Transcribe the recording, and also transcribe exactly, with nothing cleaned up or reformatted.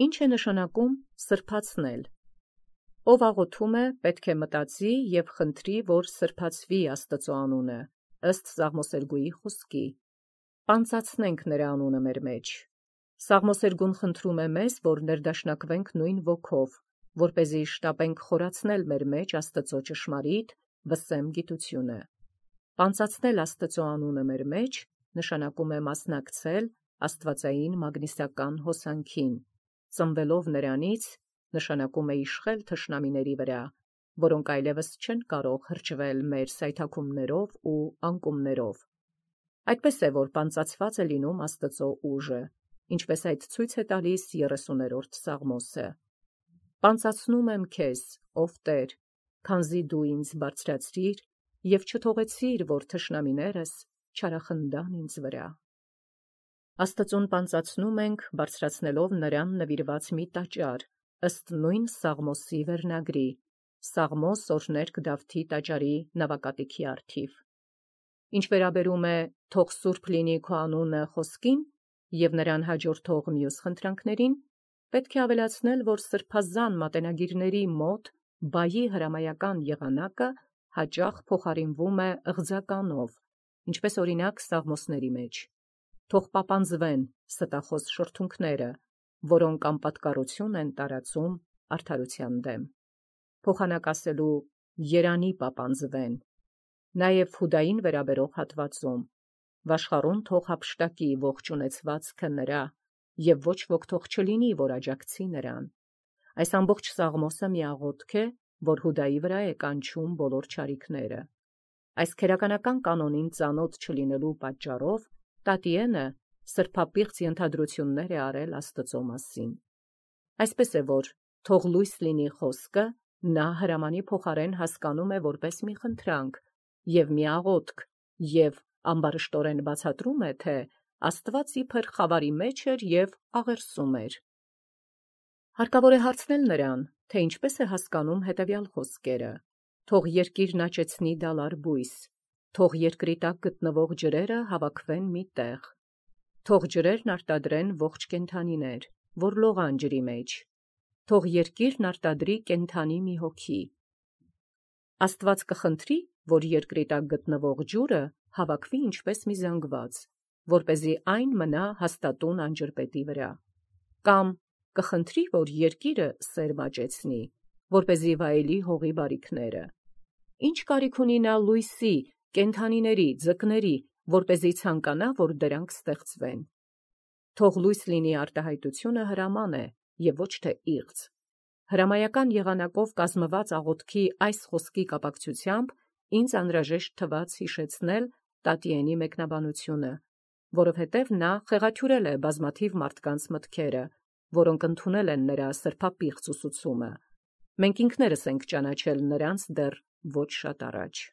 Ինչ է նշանակում սրբացնել։ Ով աղոթում է, պետք է մտածի և խնդրի, որ սրբացվի Աստծո անունը, ըստ Սաղմոսերգուի խոսքի։ Պանծացնենք նրա անունը մեր մեջ։ Սաղմոսերգուն խնդրում է մեզ, որ ներդաշնակվենք նույն ոգով, որպեսզի շտապենք խորացնել մեր մեջ Աստծո ճշմարիտ վսեմ գիտությունը։ Պանծացնել Աստծո անունը մեր մեջ նշանակում է մասնակցել աստվածային մագնիսական հոսանքին, ծնվելով նրանից նշանակում է իշխել թշնամիների վրա, որոնք այլևս չեն կարող հրճվել մեր սայթաքումներով ու անկումներով։ Այդպես է, որ պանծացված է լինում Աստծո ուժը, ինչպես այդ ցույց է տալիս երեսուներորդ Սաղմոսը։ Պանծացնում եմ քեզ, ով Տեր, քանզի դու ինձ բարձրացրիր և չթողեցիր, որ թշնամիներս չարախնդան ինձ վրա։ Աստծուն պանծացնում ենք, բարձրացնելով նրան նվիրված մի տաճար, ըստ նույն Սաղմոսի վերնագրի, Սաղմոս օրհներգ Դավթի տաճարի նավակատիքի առթիվ։ Ինչ վերաբերում է «Թող սուրբ լինի քո անունը» խոսքին և նրան հաջորդող մյուս խնդրանքներին, պետք է ավելացնել, որ սրբազան մատենագիրների մոտ բայի հրամայական եղանակը հաճախ փոխարինվում է ըղձականով, ինչպես օրինակ Սաղմոսների մեջ։ Թող պապանձվեն ստախոս շրթունքները, որոնք անպատկառություն են տարածում արդարության դեմ։ Փոխանակ ասելու երանի պապանձվեն։ Նաև Հուդային վերաբերող հատվածում. վաշխառուն թող հափշտակի ողջ ունեցվածքը նրա, և ոչ ոք թող չլինի, որ աջակցի նրան։ Այս ամբողջ Սաղմոսը մի աղոթք է, որ Հուդայի վրա է կանչում բոլոր չարիքները։ Այս քերականական կանոնին ծանոթ չլինելու պատճառով Տատիենը սրբապիղծ ենթադրություններ է արել Աստծո մասին։ Այսպես է, որ «թող լույս լինի» խոսքը նա հրամանի փոխարեն հասկանում է որպես մի խնդրանք և մի աղոթք և ամբարշտորեն բացատրում է, թե Աստված իբր խավարի մեջ էր և աղերսում էր։ Հարկավոր է հարցնել նրան, թե ինչպես է հասկանում հետևյալ խոսքերը. «Թող երկիրն աճեցնի դալար բույս, թող երկրի տակ գտնվող ջրերը հավաքվեն մի տեղ, թող ջրերն արտադրեն ողջ կենդանիներ, որ լողան ջրի մեջ, թող երկիրն արտադրի կենդանի մի հոգի»։ Աստված կխնդրի, որ երկրի տակ գտնվող ջուրը հավաքվի ինչպես մի զանգված, որպեսզի այն մնա հաստատուն անջրպետի վրա, կամ կխնդրի, որ երկիրը սերմ աճեցնի, որպեսզի վայելի հողի բարիքները։ Ինչ կարիք ունի նա լույսի, կենդանիների, ձկների, որպեսզի ցանկանա, որ դրանք ստեղծվեն։ Թող լույս լինի արտահայտությունը հրաման է և ոչ թե իղձ։ Հրամայական եղանակով կազմված աղոթքի այս խոսքի կապակցությամբ ինձ անհրաժեշտ թվաց հիշեցնել Տատիենի մեկնաբանությունը, որովհետև նա խեղաթյուրել է բազմաթիվ մարդկանց մտքերը, որոնք ընդունել են նրա սրբապիղծ ուսուցումը։ Մենք ինքներս ենք ճանաչել նրանց դեռ ոչ շատ առաջ։